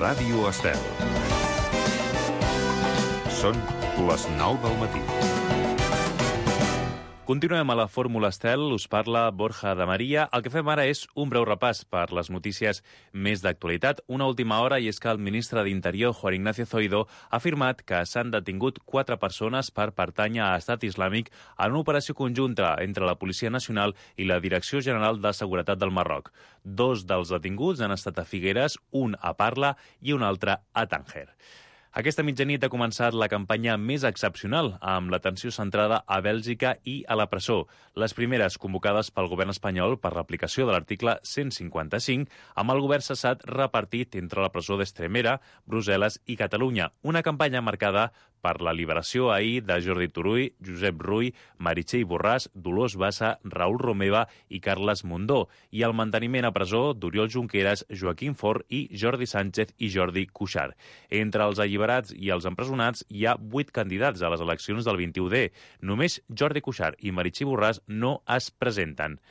Ràdio Estel. Són les 9 del matí. Continuem a la Fórmula Estel, us parla Borja de Maria. El que fem ara és un breu repàs per les notícies més d'actualitat. Una última hora, i és que el ministre d'Interior, Juan Ignacio Zoido, ha afirmat que s'han detingut 4 persones per pertànyer a Estat Islàmic en una operació conjunta entre la Policia Nacional i la Direcció General de Seguretat del Marroc. 2 dels detinguts han estat a Figueres, un a Parla i un altre a Tànger. Aquesta mitjanit ha començat la campanya més excepcional, amb l'atenció centrada a Bèlgica i a la presó. Les primeres convocades pel govern espanyol per l'aplicació de l'article 155, amb el govern cessat repartit entre la presó d'Estremera, Brussel·les i Catalunya. Una campanya marcada per la liberació ahir de Jordi Turull, Josep Rull, Meritxell Borràs, Dolors Bassa, Raül Romeva i Carles Mundó, i el manteniment a presó d'Oriol Junqueras, Joaquim Forn i Jordi Sánchez i Jordi Cuixart. Entre els alliberats i els empresonats hi ha 8 candidats a les eleccions del 21D. Només Jordi Cuixart i Meritxell Borràs no es presenten.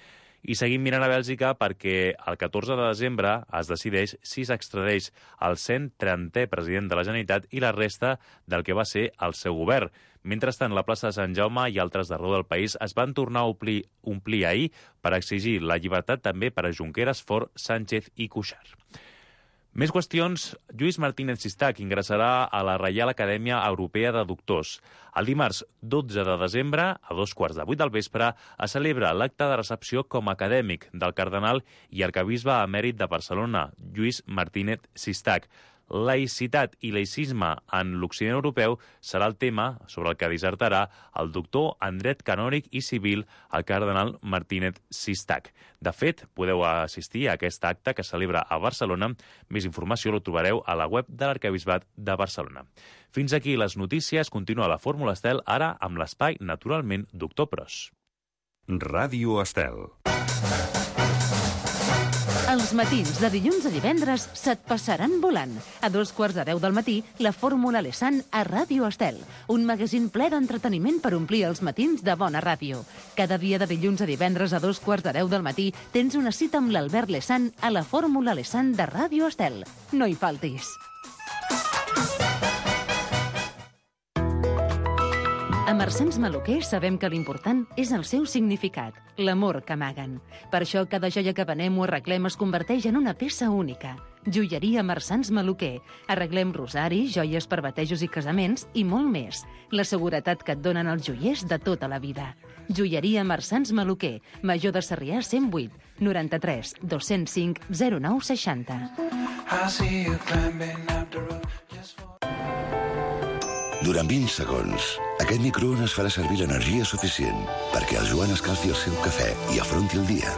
I seguim mirant a Bèlgica perquè el 14 de desembre es decideix si s'extradeix el 130è president de la Generalitat i la resta del que va ser el seu govern. Mentrestant, la plaça de Sant Jaume i altres d'arreu del país es van tornar a omplir ahir per exigir la llibertat també per a Junqueras, Forn, Sánchez i Cuixart. Més qüestions. Lluís Martínez Sistac ingressarà a la Reial Acadèmia Europea de Doctors. El dimarts 12 de desembre, a 2:15 del vespre, es celebra l'acte de recepció com a acadèmic del cardenal i arquebisbe emèrit de Barcelona, Lluís Martínez Sistac. Laïcitat i laïcisme en l'Occident europeu serà el tema sobre el que dissertarà el doctor en dret canònic i civil, el cardenal Martínez Sistac. De fet, podeu assistir a aquest acte que es celebra a Barcelona. Més informació lo trobareu a la web de l'Arquebisbat de Barcelona. Fins aquí les notícies. Continua la Fórmula Estel, ara amb l'espai Naturalment Doctor Pros. Ràdio Estel. Els matins de dilluns a divendres se't passaran volant. A 2:15 del matí, la Fórmula Lesan a Ràdio Estel. Un magazín ple d'entreteniment per omplir els matins de bona ràdio. Cada dia de dilluns a divendres a 2:15 del matí tens una cita amb l'Albert Lesan a la Fórmula Lesan de Ràdio Estel. No hi faltis. A Marsans Maluquer sabem que l'important és el seu significat, l'amor que amaguen. Per això cada joia que venem o arreglem es converteix en una peça única. Joieria Marsans Maluquer. Arreglem rosaris, joies per batejos i casaments i molt més. La seguretat que et donen els joiers de tota la vida. Joieria Marsans Maluquer. Major de Sarrià 108 93 205 0960. Durant 20 segons, aquest microones farà servir l'energia suficient perquè el Joan escalfi el seu cafè i afronti el dia.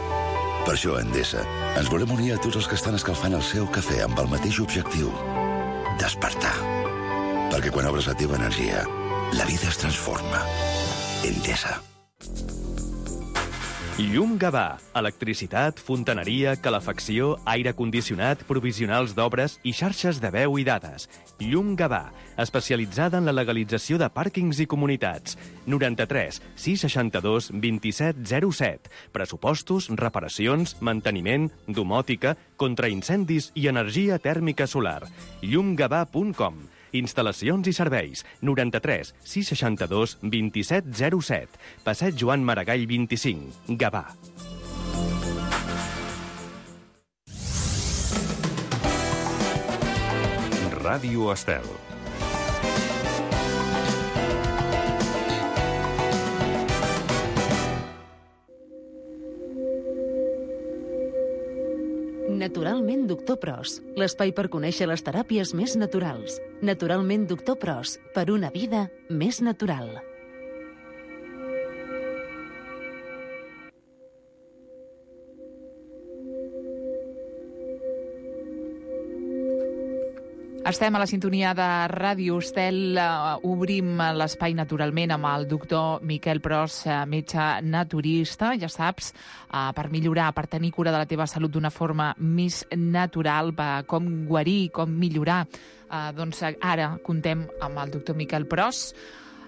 Per això, a Endesa, ens volem unir a tots els que estan escalfant el seu cafè amb el mateix objectiu: despertar. Perquè quan obres la teva energia, la vida es transforma. Endesa. Llum Gavà. Electricitat, fontaneria, calefacció, aire condicionat, provisionals d'obres i xarxes de veu i dades. Llum Gavà, especialitzada en la legalització de pàrquings i comunitats. 93 662 2707. Pressupostos, reparacions, manteniment, domòtica, contraincendis i energia tèrmica solar. llumgavà.com. Instal·lacions i serveis. 93 662 2707. Passeig Joan Maragall 25. Gavà. Ràdio Estel. Naturalment Doctor Pros, l'espai per conèixer les teràpies més naturals. Naturalment Doctor Pros, per una vida més natural. Estem a la sintonia de Ràdio Estel. Obrim l'espai naturalment amb el doctor Miquel Pros, metge naturista, ja saps, per millorar, per tenir cura de la teva salut d'una forma més natural, com guarir, com millorar. Doncs ara contem amb el doctor Miquel Pros,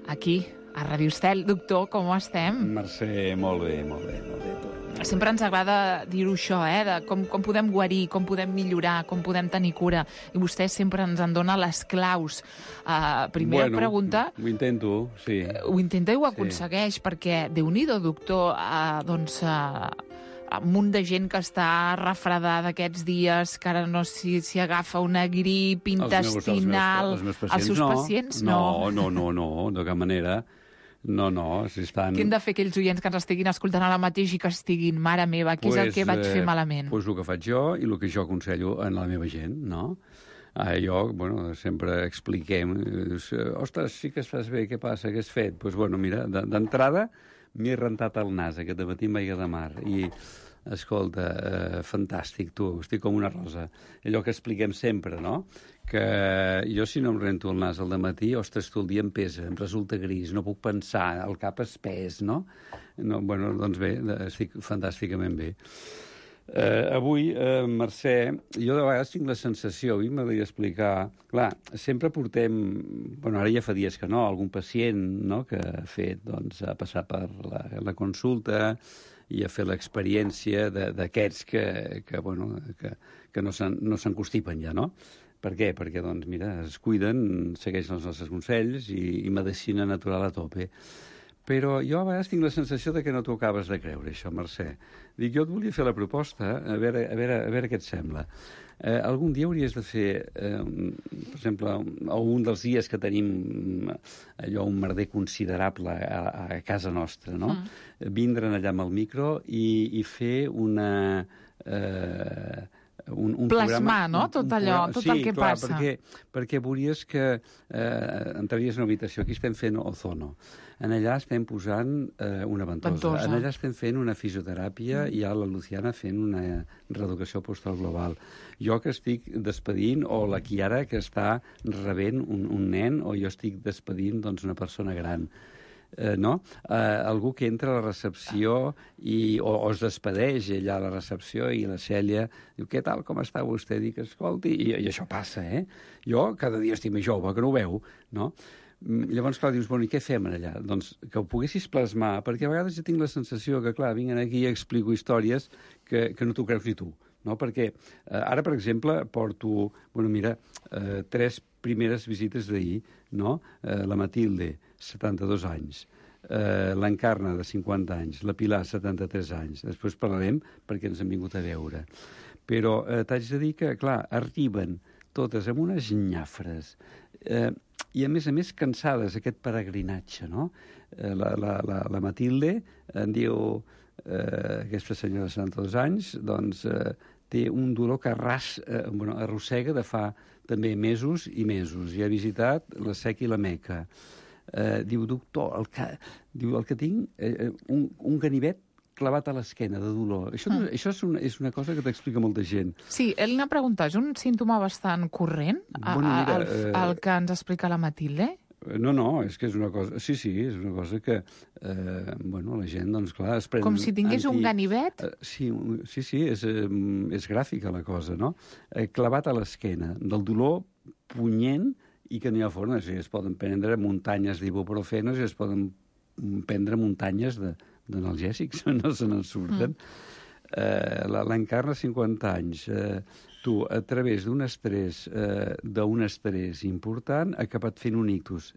aquí a Ràdio Estel. Doctor, com estem? Mercè, molt bé, molt bé, molt bé. sempre ens agrada dir-ho això, de com podem guarir, com podem millorar, com podem tenir cura. I vostè sempre ens en dona les claus. Primera pregunta... Ho intento, sí. Ho intenta i ho aconsegueix, perquè Déu-n'hi-do, doctor, un munt de gent que està refredada aquests dies, que ara no sé si agafa una grip intestinal... Els seus pacients, no, de cap manera. No, si estan... Què hem de fer aquells oients que ens estiguin escoltant ara mateix i que estiguin, mare meva, què és el que vaig fer malament? Doncs el que faig jo i el que jo aconsello a la meva gent, no? Sempre expliquem, ostres, sí que es fas bé, què passa, què has fet? Doncs, mira, d'entrada m'he rentat el nas aquest dematí amb aigua de mar i, escolta, fantàstic, tu, estic com una rosa. Allò que expliquem sempre, no? Que jo si no em rento el nas al dematí, ostres, tu el dia em pesa, em resulta gris, no puc pensar, el cap espès, no? Doncs bé, estic fantàsticament bé. Avui, Mercè, jo de vegades tinc la sensació, i m'agradaria explicar, clar, sempre portem, ara ja fa dies que no, algun pacient, no?, que ha fet, doncs, ha passat per la consulta i ha fet l'experiència d'aquests que no s'encostipen ja, no? Per què? Perquè, doncs, mira, es cuiden, segueixen els nostres consells i medicina natural a tope. Però jo a vegades tinc la sensació de que no t'ho acabes de creure, això, Mercè. Dic, jo et volia fer la proposta, a veure què et sembla. Algun dia hauries de fer, per exemple, un dels dies que tenim allò, un merder considerable a casa nostra, no? Vindre'n allà amb el micro i fer un plasmar, no?, tot allò, tot el que passa. Perquè veuries que entraries en una habitació. Aquí estem fent ozono. En allà estem posant una ventosa. En allà estem fent una fisioteràpia i a la Luciana fent una reeducació postal global. Jo que estic despedint, o la Chiara que està rebent un nen, o jo estic despedint, doncs, una persona gran. No? Algú que entra a la recepció o es despedeix allà a la recepció i la Cèlia diu, què tal, com està vostè? Dic, escolti, i això passa, Jo cada dia estic més jove, que no ho veu, no? Llavors, clar, dius, i què fem allà? Doncs que ho poguessis plasmar, perquè a vegades jo tinc la sensació que, clar, vinc aquí i explico històries que no t'ho creus ni tu, no? Perquè ara, per exemple, porto, 3 primeres visites d'ahir, no? La Matilde, 72 anys, l'Encarna, de 50 anys, la Pilar, 73 anys. Després parlarem perquè ens han vingut a veure. Però t'haig de dir que, clar, arriben totes amb unes nyafres i, a més, cansades, aquest peregrinatge, no? La Matilde en diu, aquesta senyora de 72 anys, doncs té un dolor que arrossega de fa també mesos i mesos. I ha visitat la Seca i la Meca. Diu, doctor, el que tinc, un ganivet clavat a l'esquena de dolor. Això és una cosa que t'explica molta gent. Sí, ell n'ha preguntat, és un símptoma bastant corrent, el que ens explica la Matilde? No, és que és una cosa... Sí, és una cosa que, la gent, doncs, clar, es pren... Com si tingués un ganivet? Sí, és gràfica la cosa, no? Clavat a l'esquena, del dolor punyent i que no hi ha forma. Es poden prendre muntanyes d'ibuprofenos i es poden prendre muntanyes d'analgèsics, no se n'en surten. L'Encarna, 50 anys. Tu, a través d'un estrès important, ha acabat fent un ictus.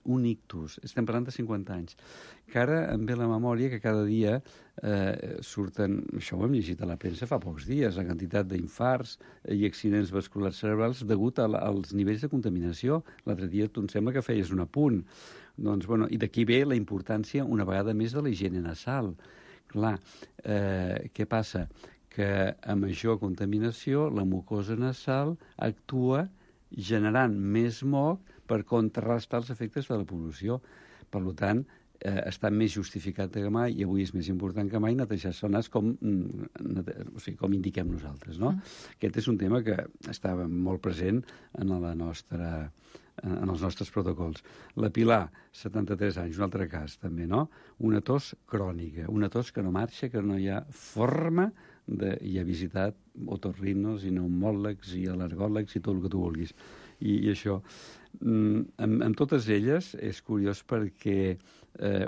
Estem parlant de 50 anys. Que ara em ve la memòria que cada dia surten, això ho hem llegit a la premsa fa pocs dies, la quantitat d'infarts i accidents vasculars cerebrals degut als nivells de contaminació. L'altre dia tu em sembla que feies un apunt. Doncs, i d'aquí ve la importància, una vegada més, de la higiene nasal. Clar, què passa? Que a major contaminació la mucosa nasal actua generant més moc per contrarrestar els efectes de la pol·lució. Per tant, està més justificat que mai, i avui és més important que mai, netejar-se el nas com indiquem nosaltres, no? Aquest és un tema que estava molt present en els nostres protocols. La Pilar, 73 anys, un altre cas també, no? Una tos crònica, una tos que no marxa, que no hi ha forma i ha visitat otorrinos i pneumòlegs i al·lergòlegs i tot el que tu vulguis. I això, amb totes elles, és curiós perquè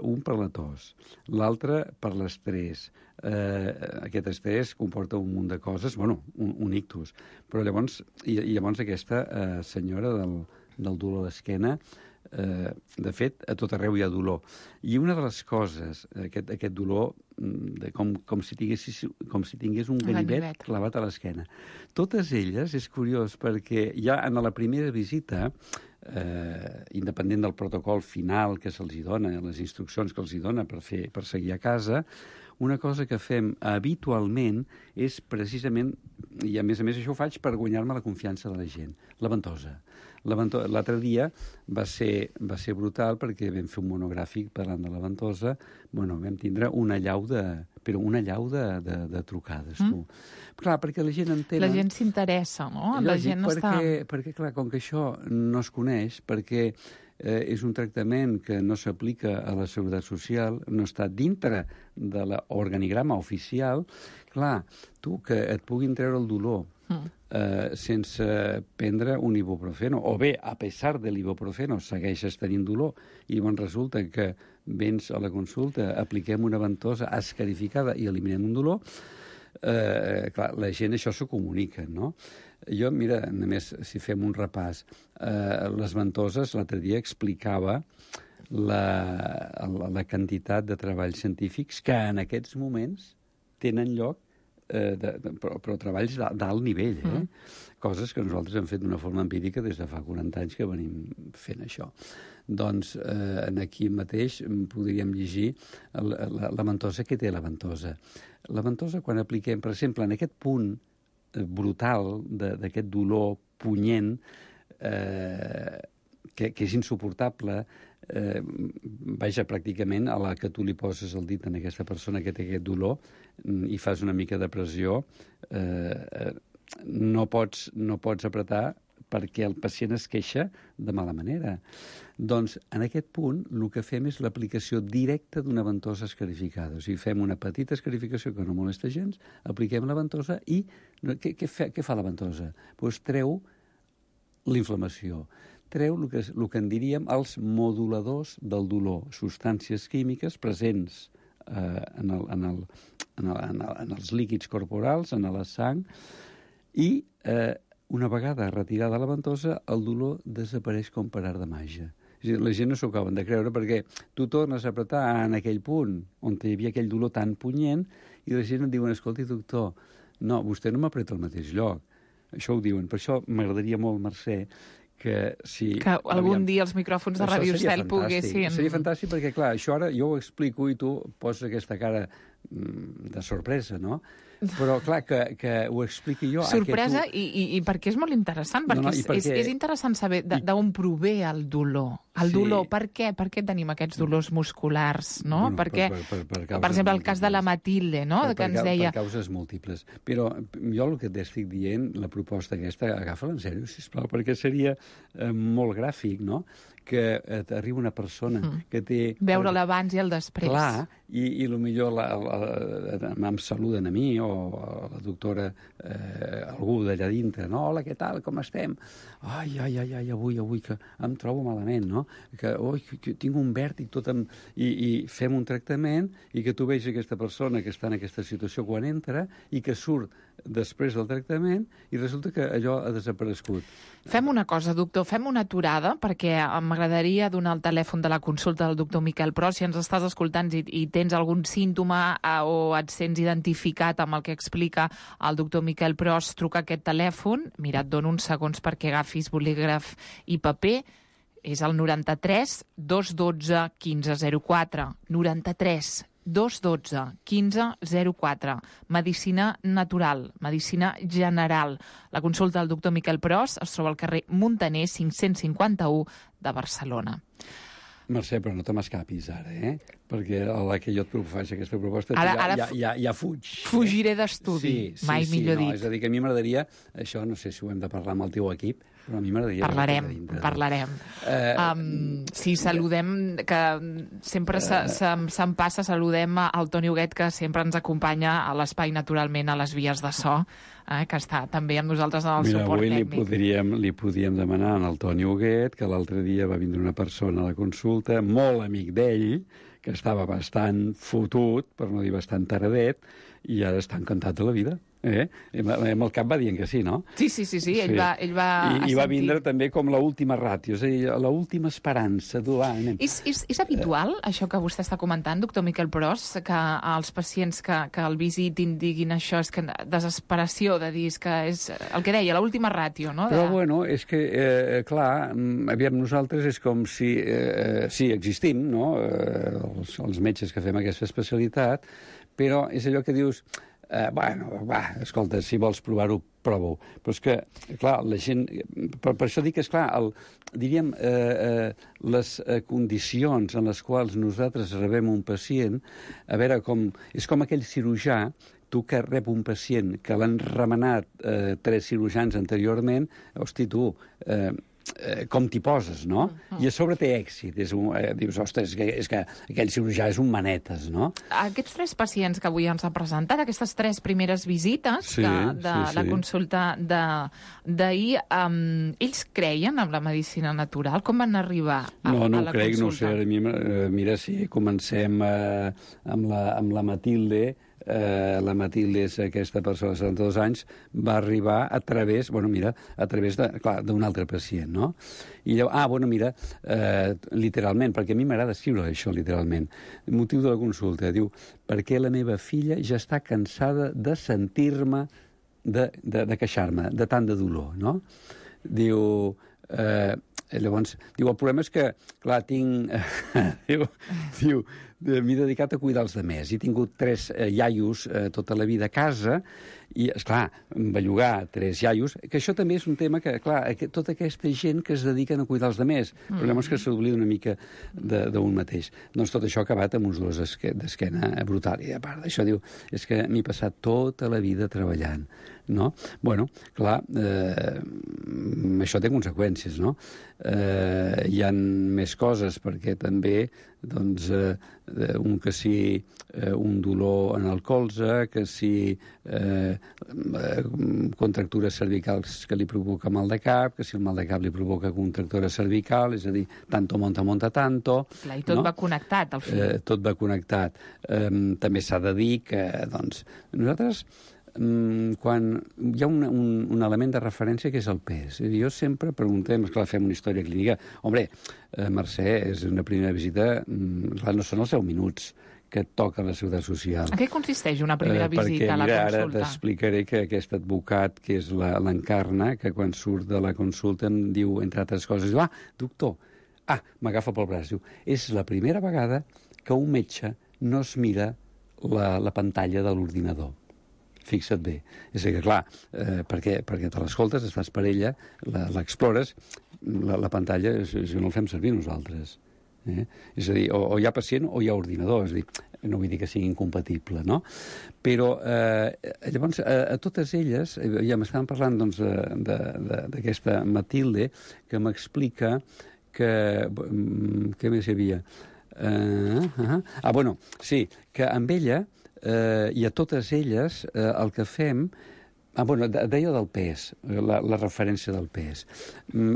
un per la tos, l'altre per l'estrès, aquest estrès comporta un munt de coses, un ictus. Però llavors aquesta senyora del dolor d'esquena, de fet, a tot arreu hi ha dolor. I una de les coses, aquest dolor, com si tingués un ganivet clavat a l'esquena. Totes elles, és curiós, perquè ja en la primera visita, independent del protocol final que se'ls dona, les instruccions que els dona per seguir a casa, una cosa que fem habitualment és precisament, i a més això ho faig per guanyar-me la confiança de la gent, la ventosa. L'altre dia va ser brutal perquè vam fer un monogràfic parlant de la ventosa. Vam tindre una llau de trucades, tu. Clar, perquè la gent entén... La gent s'interessa, no? La gent està... Perquè, clar, com que això no es coneix, perquè és un tractament que no s'aplica a la Seguretat Social, no està dintre de l'organigrama oficial, clar, tu, que et puguin treure el dolor sense prendre un ibuprofeno, o bé, a pesar de l'ibuprofeno, segueixes tenint dolor, i resulta que vens a la consulta, apliquem una ventosa escarificada i eliminem un dolor, clar, la gent això s'ho comunica, no? Jo, mira, només si fem un repàs, les ventoses, l'altre dia explicava la quantitat de treballs científics que en aquests moments tenen lloc, però treballs d'alt nivell, coses que nosaltres hem fet d'una forma empírica des de fa 40 anys que venim fent això. Doncs aquí mateix podríem llegir la ventosa que té la ventosa. La ventosa, quan apliquem, per exemple, en aquest punt brutal d'aquest dolor punyent, que és insuportable, vaja, pràcticament a la que tu li poses el dit en aquesta persona que té aquest dolor i fas una mica de pressió, no pots apretar perquè el pacient es queixa de mala manera. Doncs, en aquest punt, el que fem és l'aplicació directa d'una ventosa escarificada. O sigui, fem una petita escarificació que no molesta gens, apliquem la ventosa i què fa la ventosa? Doncs treu l'inflamació. Treu el que en diríem els moduladors del dolor, substàncies químiques presents en els líquids corporals, en la sang, i una vegada retirada la ventosa, el dolor desapareix com per art de màgia. És a dir, la gent no s'ho acaben de creure perquè tu tornes a apretar en aquell punt on hi havia aquell dolor tan punyent i la gent et diuen, escolti, doctor, no, vostè no m'apreta al mateix lloc. Això ho diuen. Per això m'agradaria molt, Mercè, que si... Que algun dia els micròfons de Ràdio Estel poguessin... Seria fantàstic perquè, clar, això ara jo ho explico i tu poses aquesta cara de sorpresa, no? Però, clar, que ho expliqui jo... Sorpresa i perquè és molt interessant, perquè és interessant saber d'on prové el dolor. El dolor, per què? Per què tenim aquests dolors musculars, no? Perquè, per exemple, el cas de la Matilde, no?, que ens deia... Per causes múltiples. Però jo el que t'estic dient, la proposta aquesta, agafa-la en sèrio, sisplau, perquè seria molt gràfic, no?, que t'arriba una persona que té... Veure l'abans i el després. Clar, i potser em saluden a mi o a la doctora, algú d'allà dintre, no? Hola, què tal, com estem? Ai, avui que em trobo malament, no? Que tinc un vèrtic tot i fem un tractament i que tu veus aquesta persona que està en aquesta situació quan entra i que surt després del tractament i resulta que allò ha desaparegut. Fem una cosa, doctor, fem una aturada perquè m'agradaria donar el telèfon de la consulta del doctor Miquel Pros. Si ens estàs escoltant i tens algun símptoma o et sents identificat amb el que explica el doctor Miquel Pros, truca aquest telèfon. Mira, et dono uns segons perquè agafis bolígraf i paper. És el 93 212 1504. 93 212 1504. Medicina natural, medicina general. La consulta del doctor Miquel Pros es troba al carrer Muntaner 551 de Barcelona. Mercè, però no te m'escapis ara, perquè a la que jo et faig aquesta proposta ja fuig. Fugiré d'estudi, mai millor dit. És a dir, que a mi m'agradaria, això no sé si ho hem de parlar amb el teu equip, però a mi m'agradaria... Parlarem. Sí, saludem, que sempre se'm passa, saludem al Toni Huguet, que sempre ens acompanya a l'espai, naturalment, a les vies de so, que està també amb nosaltres en el suport tècnic. Mira, avui li podíem demanar al Toni Huguet, que l'altre dia va vindre una persona a la consulta, molt amic d'ell, que estava bastant fotut, per no dir bastant taradet, i ara està encantat de la vida. Amb el cap va dient que sí, no? Sí. Ell va I va vindre també com l'última ràtio, és a dir, l'última esperança. És habitual, això que vostè està comentant, doctor Miquel Pros, que els pacients que el visitin diguin això, és que desesperació de dir que és el que deia, l'última ràtio, no? Però, bueno, és que, clar, aviam, nosaltres és com si existim, no?, els metges que fem aquesta especialitat, però és allò que dius... escolta, si vols provar-ho, prova-ho. Però és que, clar, la gent... Per això dic que, esclar, diríem, les condicions en les quals nosaltres rebem un pacient, a veure, és com aquell cirurgià, tu que rep un pacient que l'han remenat 3 cirurgians anteriorment, hosti, tu... com t'hi poses, no? I a sobre té èxit. Dius, ostres, és que aquell cirurgià és un manetes, no? Aquests 3 pacients que avui ens ha presentat, aquestes 3 primeres visites la consulta d'ahir, ells creien en la medicina natural? Com van arribar a la consulta? No ho crec, no sé. Mira, si comencem amb la Matilde... La Matilde és aquesta persona de 72 anys, va arribar a través d'un altre pacient, no? I llavors, literalment, perquè a mi m'agrada escriure això, literalment. El motiu de la consulta, diu, perquè la meva filla ja està cansada de sentir-me, de queixar-me, de tant de dolor, no? Diu... Llavors, diu, el problema és que, clar, m'he dedicat a cuidar els demés. He tingut 3 iaios tota la vida a casa i, esclar, bellugar 3 iaios, que això també és un tema que, clar, tota aquesta gent que es dediquen a cuidar els demés, el problema és que s'oblida una mica d'un mateix. Doncs tot això ha acabat amb uns dolors d'esquena brutal. I a part d'això, diu, és que m'he passat tota la vida treballant, no? Bueno, clar, això té conseqüències, no? Hi ha més coses, perquè també, doncs, un dolor en el colze, que si contractures cervicals que li provoca mal de cap, que si el mal de cap li provoca contractura cervical, és a dir, tanto monta tanto... Clar, i tot va connectat, al final. Tot va connectat. També s'ha de dir que, doncs, nosaltres... quan hi ha un element de referència que és el pes. Jo sempre preguntem, esclar, fem una història clínica. Hombre, Mercè, és una primera visita, clar, no són els 10 minuts que et toca la seguretat social. En què consisteix una primera visita a la consulta? Ara t'explicaré que aquest advocat, que és l'Encarna, que quan surt de la consulta em diu, entre altres coses, diu, doctor, m'agafa pel braç, diu, és la primera vegada que un metge no es mira la pantalla de l'ordinador. Fixa't bé. És a dir, clar, perquè te l'escoltes, estàs per ella, l'explores, la pantalla no el fem servir nosaltres. És a dir, o hi ha pacient o hi ha ordinador, és a dir, no vull dir que sigui incompatible, no? Però, llavors, a totes elles, ja m'estaven parlant, doncs, d'aquesta Matilde, que m'explica que... Què més hi havia? Bueno, sí, que amb ella... i a totes elles el que fem... deia del pes, la referència del pes.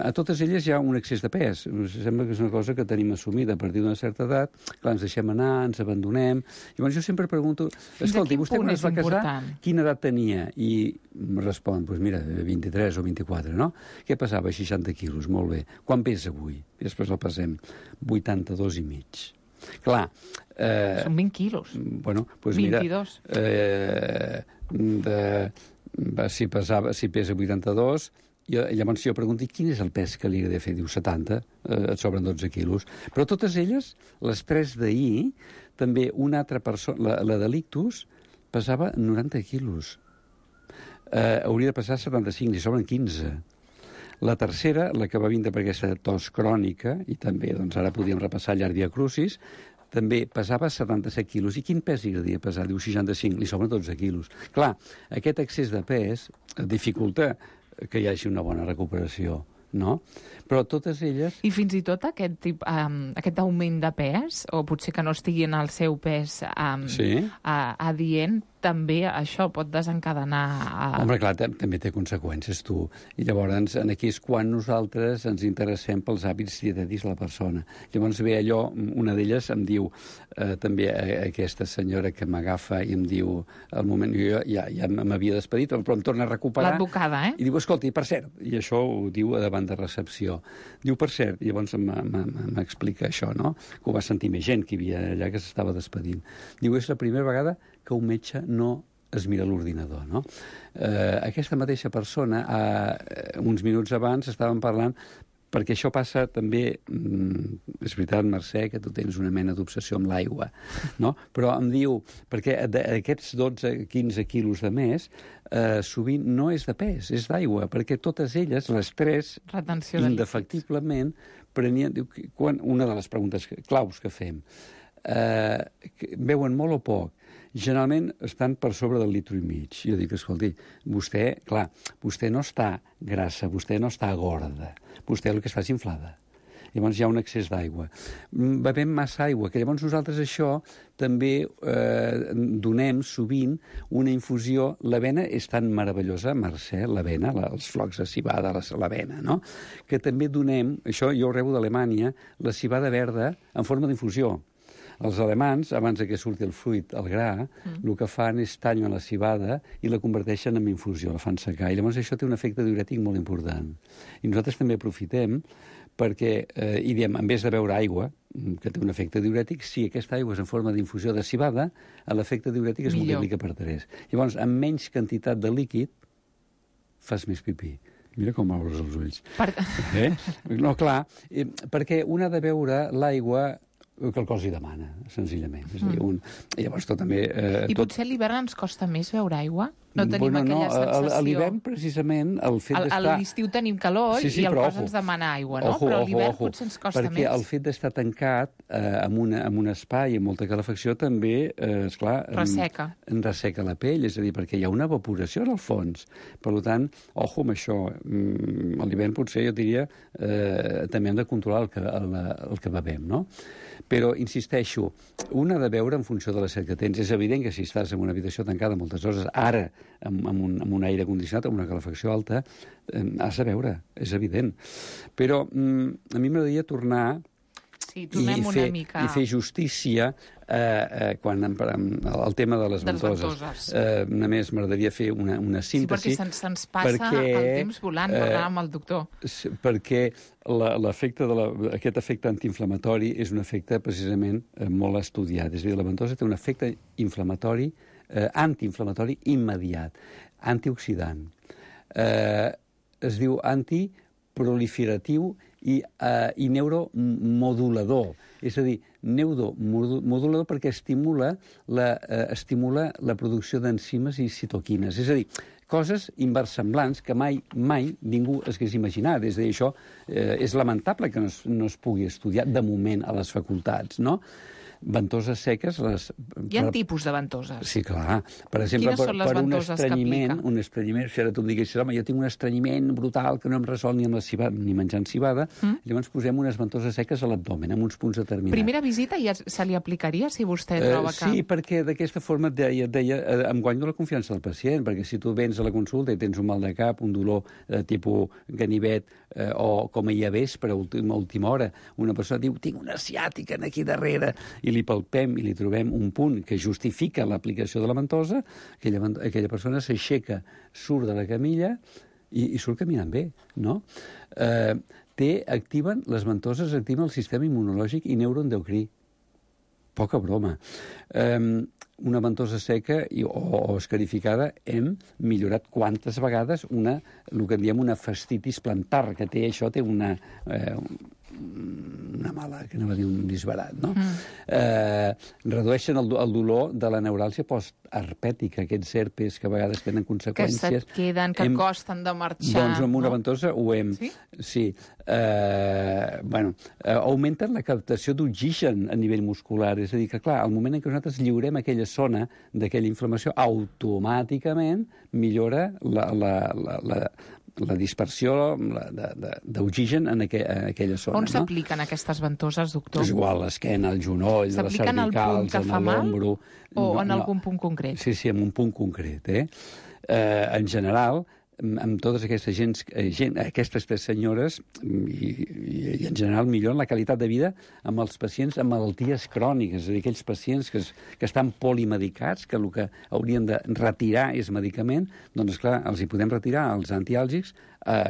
A totes elles hi ha un excés de pes. Sembla que és una cosa que tenim assumida a partir d'una certa edat. Clar, ens deixem anar, ens abandonem... Llavors jo sempre pregunto... Escolti, vostè quan es va casar, quina edat tenia? I em respon, doncs mira, 23 o 24, no? Què pesava? 60 quilos, molt bé. Quan pesa avui? I després el pesem. 82 i mig. Clar... Són 20 quilos. Bueno, doncs mira... 22. Si pesa 82, llavors jo pregunto, quin és el pes que li he de fer? Diu 70, et sobren 12 quilos. Però totes elles, les 3 d'ahir, també una altra persona, la de l'ictus, pesava 90 quilos. Hauria de pesar 75, li sobren 15. La tercera, la que va vindre per aquesta tos crònica, i també doncs, ara podíem repassar llarg via crucis, també pesava 77 quilos. I quin pes li agradaria pesar? Diu 65, li sobren 12 quilos. Clar, aquest excés de pes dificulta que hi hagi una bona recuperació, no? Però totes elles... I fins i tot aquest augment de pes, o potser que no estigui en el seu pes adient, també això pot desencadenar... Home, clar, també té conseqüències, tu. I llavors, aquí és quan nosaltres ens interessem pels hàbits dietètics de la persona. Llavors ve allò, una d'elles em diu, també aquesta senyora que m'agafa i em diu, al moment, jo ja m'havia despedit, però em torna a recuperar. L'advocada, I diu, escolta, per cert, i això ho diu davant de recepció. Diu, per cert, i llavors m'explica això, no? Que ho va sentir més gent que hi havia allà que s'estava despedint. Diu, és la primera vegada que un metge no es mira l'ordinador, no? Aquesta mateixa persona, uns minuts abans, estàvem parlant, perquè això passa també, és veritat, Mercè, que tu tens una mena d'obsessió amb l'aigua, no? Però em diu, perquè aquests 12-15 quilos de més, sovint no és de pes, és d'aigua, perquè totes elles, les tres, indefectiblement, prenien... Una de les preguntes claus que fem, beuen molt o poc? Generalment estan per sobre del litre i mig. Jo dic, escolti, vostè no està grassa, vostè no està gorda, vostè el que està és inflada. Llavors hi ha un excés d'aigua. Bevem massa aigua, que llavors nosaltres això també donem sovint una infusió. L'avena és tan meravellosa, Mercè, l'avena, els flocs de civada, l'avena, no? Que també donem, això jo ho rebo d'Alemanya, la civada verda en forma d'infusió. Els alemans, abans que surti el fruit, el gra, el que fan és tallen la civada i la converteixen en infusió, la fan secar. I llavors això té un efecte diurètic molt important. I nosaltres també aprofitem perquè, i diem, en vez de beure aigua, que té un efecte diurètic, si aquesta aigua és en forma d'infusió de civada, l'efecte diurètic es multiplica per 3. Llavors, amb menys quantitat de líquid, fas més pipí. Mira com obres els ulls. No, clar, perquè un ha de beure l'aigua que el cos hi demana, senzillament. És a dir, i llavors tot també... I potser a l'hivern ens costa més beure aigua? No tenim aquella sensació... A l'hivern, precisament, el fet d'estar... A l'estiu tenim calor i el cos ens demana aigua, no? Però a l'hivern potser ens costa més. Perquè el fet d'estar tancat en un espai amb molta calefacció també, esclar... Resseca. Resseca la pell, és a dir, perquè hi ha una evaporació en el fons. Per tant, ojo amb això. A l'hivern potser, jo diria, també hem de controlar el que bevem, no? Però, insisteixo, un ha de beure en funció de la set que tens. És evident que si estàs en una habitació tancada moltes hores, ara, amb un aire condicionat, amb una calefacció alta, has de beure, és evident. Però a mi m'agradaria tornar i fer justícia quan el tema de les ventoses. Només m'agradaria fer una síntesi. Sí, perquè se'ns passa el temps volant, parlant amb el doctor. Perquè aquest efecte antiinflamatori és un efecte precisament molt estudiat. És a dir, la ventosa té un efecte inflamatori, antiinflamatori immediat, antioxidant. Es diu antiproliferatiu i neuromodulador. És a dir, neuromodulador perquè estimula la producció d'enzimes i citoquines. És a dir, coses inversemblants que mai ningú es hagués imaginat. És a dir, això és lamentable que no es pugui estudiar de moment a les facultats, no? Ventoses seques... Hi ha tipus de ventoses? Sí, clar. Per exemple, per un estrenyiment, si ara tu em diguessis, home, jo tinc un estrenyiment brutal que no em resol ni amb la civada, ni menjant civada, llavors posem unes ventoses seques a l'abdomen, amb uns punts determinats. Primera visita ja se li aplicaria, si vostè troba que... Sí, perquè d'aquesta forma et deia, em guanyo la confiança del pacient, perquè si tu vens a la consulta i tens un mal de cap, un dolor tipus ganivet, o com ahir a vespre, a última hora, una persona diu, tinc una ciàtica aquí darrere, i li palpem i li trobem un punt que justifica l'aplicació de la ventosa, aquella persona s'aixeca, surt de la camilla i surt caminant bé, no? Les ventoses activen el sistema immunològic i neuroendocrí. Poca broma. Una ventosa seca o escarificada hem millorat quantes vegades el que en diem una fascitis plantar, que té una mala, que anava a dir un disbarat, no? Redueixen el dolor de la neuràlgia postarpètica, aquests herpes que a vegades tenen conseqüències. Que se't queden, que costen de marxar. Doncs amb una ventosa ho hem... Sí. Augmenten la captació d'oxigen a nivell muscular, és a dir, que clar, al moment en què nosaltres lliurem aquella zona d'aquella inflamació, automàticament millora la dispersió d'oxigen en aquella zona. On s'apliquen aquestes ventoses, doctor? És igual, l'esquena, el genoll, les cervicals, en l'ombro... O en algun punt concret? Sí, en un punt concret. En general, amb totes aquestes senyores, i en general millor la qualitat de vida amb els pacients amb malalties cròniques, és a dir, aquells pacients que estan polimedicats, que el que haurien de retirar és medicament, doncs, clar, els hi podem retirar els antiàlgics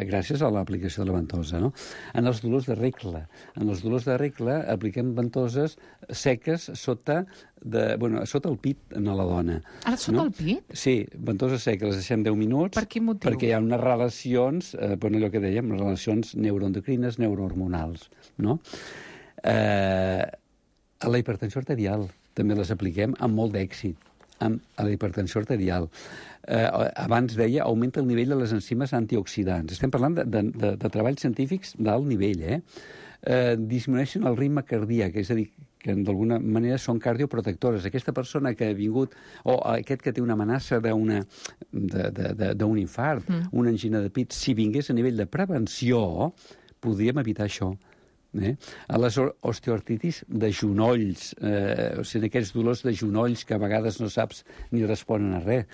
gràcies a l'aplicació de la ventosa, no? En els dolors de regla. En els dolors de regla apliquem ventoses seques sota el pit a la dona. Ara sota el pit? Sí, ventoses seques, les deixem 10 minuts. Per quin motiu? Perquè hi ha unes relacions, allò que dèiem, relacions neuroendocrines, neurohormonals, no? A la hipertensió arterial també les apliquem amb molt d'èxit. A la hipertensió arterial. Abans deia, augmenta el nivell de les enzimes antioxidants. Estem parlant de treballs científics d'alt nivell, disminueixen el ritme cardíac, és a dir, que d'alguna manera són cardioprotectores. Aquesta persona que ha vingut, o aquest que té una amenaça d'un infart, una angina de pit, si vingués a nivell de prevenció, podríem evitar això. A les osteoartritis de genolls, o sigui, aquests dolors de genolls que a vegades no saps ni responen a res.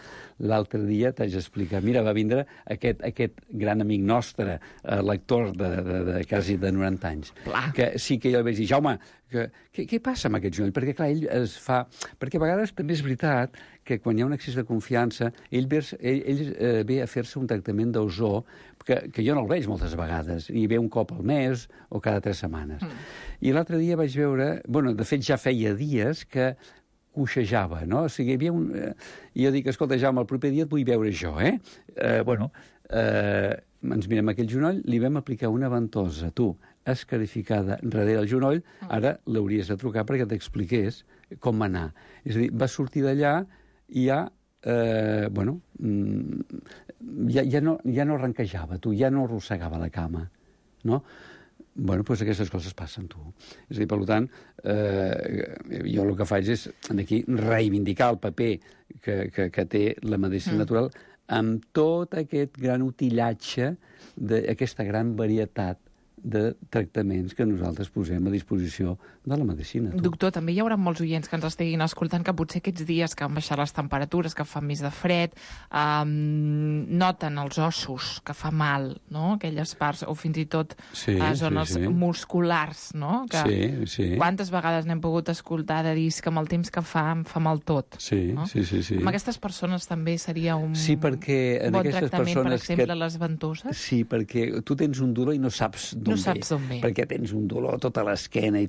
L'altre dia t'haig d'explicar, mira, va vindre aquest gran amic nostre, lector de quasi de 90 anys, que sí que jo li vaig dir, Jaume, què passa amb aquest genoll? Perquè, clar, ell es fa... Perquè a vegades també és veritat que quan hi ha un excés de confiança, ell ve a fer-se un tractament d'ozó, que jo no el veig moltes vegades, i ve un cop al mes o cada 3 setmanes. I l'altre dia vaig veure... de fet, ja feia dies que coixejava, no? O sigui, hi havia un... I jo dic, escolta, Jaume, el proper dia et vull veure jo, ens mirem aquell genoll, li vam aplicar una ventosa, escarificada darrere el genoll, ara l'hauries de trucar perquè t'expliqués com va anar. És a dir, va sortir d'allà i ja no ranquejava, ja no arrossegava la cama, no? Doncs aquestes coses passen, És a dir, per tant, jo el que faig és aquí reivindicar el paper que té la medicina natural amb tot aquest gran utillatge d'aquesta gran varietat de tractaments que nosaltres posem a disposició de la medicina. Doctor, també hi haurà molts oients que ens estiguin escoltant que potser aquests dies que han baixat les temperatures, que fa més de fred, noten els ossos, que fa mal, no? Aquelles parts, o fins i tot zones musculars, no? Sí. Quantes vegades n'hem pogut escoltar de dir que amb el temps que fa, em fa mal tot. Sí. Amb aquestes persones també seria un bon tractament, per exemple, les ventoses? Sí, perquè tu tens un dolor i no saps d'on ve. Perquè tens un dolor a tota l'esquena i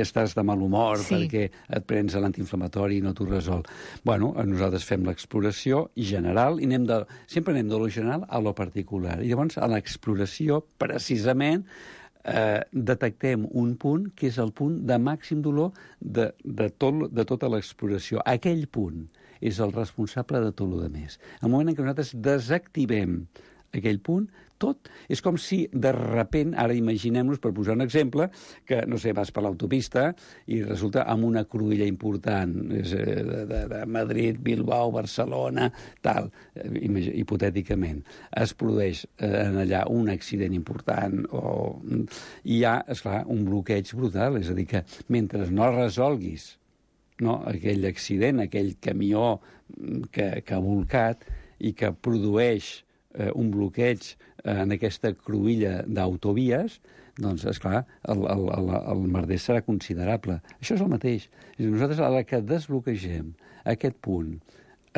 estàs de mal humor perquè et prens l'antiinflamatori i no t'ho resol. Nosaltres fem l'exploració general i sempre anem de lo general a lo particular. I llavors, a l'exploració, precisament, detectem un punt que és el punt de màxim dolor de tota l'exploració. Aquell punt és el responsable de tot el demés. El moment en què nosaltres desactivem aquell punt, tot és com si de repent, ara imaginem-nos, per posar un exemple, que, no sé, vas per l'autopista i resulta amb una cruïlla important de Madrid, Bilbao, Barcelona, tal, hipotèticament. Es produeix allà un accident important i hi ha, esclar, un bloqueig brutal. És a dir, que mentre no resolguis aquell accident, aquell camió que ha volcat i que produeix un bloqueig en aquesta cruïlla d'autovies, doncs, esclar, el merder serà considerable. Això és el mateix. Nosaltres, a la que desbloquegem aquest punt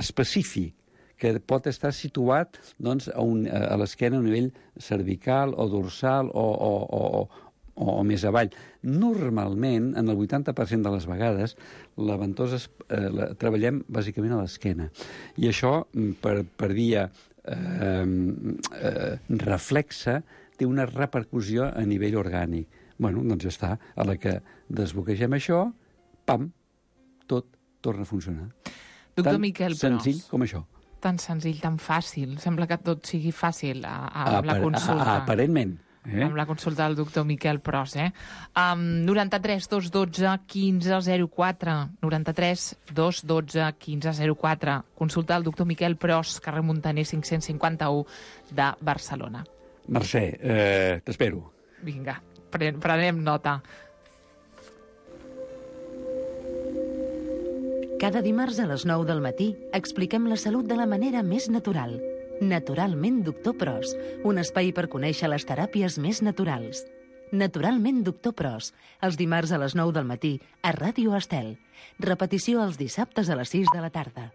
específic, que pot estar situat a l'esquena a nivell cervical o dorsal o més avall. Normalment, en el 80% de les vegades, la ventosa la treballem bàsicament a l'esquena. I això, per via reflexa, té una repercussió a nivell orgànic. Doncs ja està. A la que desbloquegem això, pam, tot torna a funcionar. Doctor Miquel Pros. Senzill com això. Tan senzill, tan fàcil. Sembla que tot sigui fàcil a la consulta. Aparentment. Amb la consulta del doctor Miquel Pros, 93 212 1504. 93 212 1504. Consulta del doctor Miquel Pros, carrer Muntaner 551 de Barcelona. Mercè, t'espero. Vinga, prenem nota. Cada dimarts a les 9 del matí expliquem la salut de la manera més natural. Naturalment Doctor Pros, un espai per conèixer les teràpies més naturals. Naturalment Doctor Pros, els dimarts a les 9 del matí a Ràdio Estel. Repetició els dissabtes a les 6 de la tarda.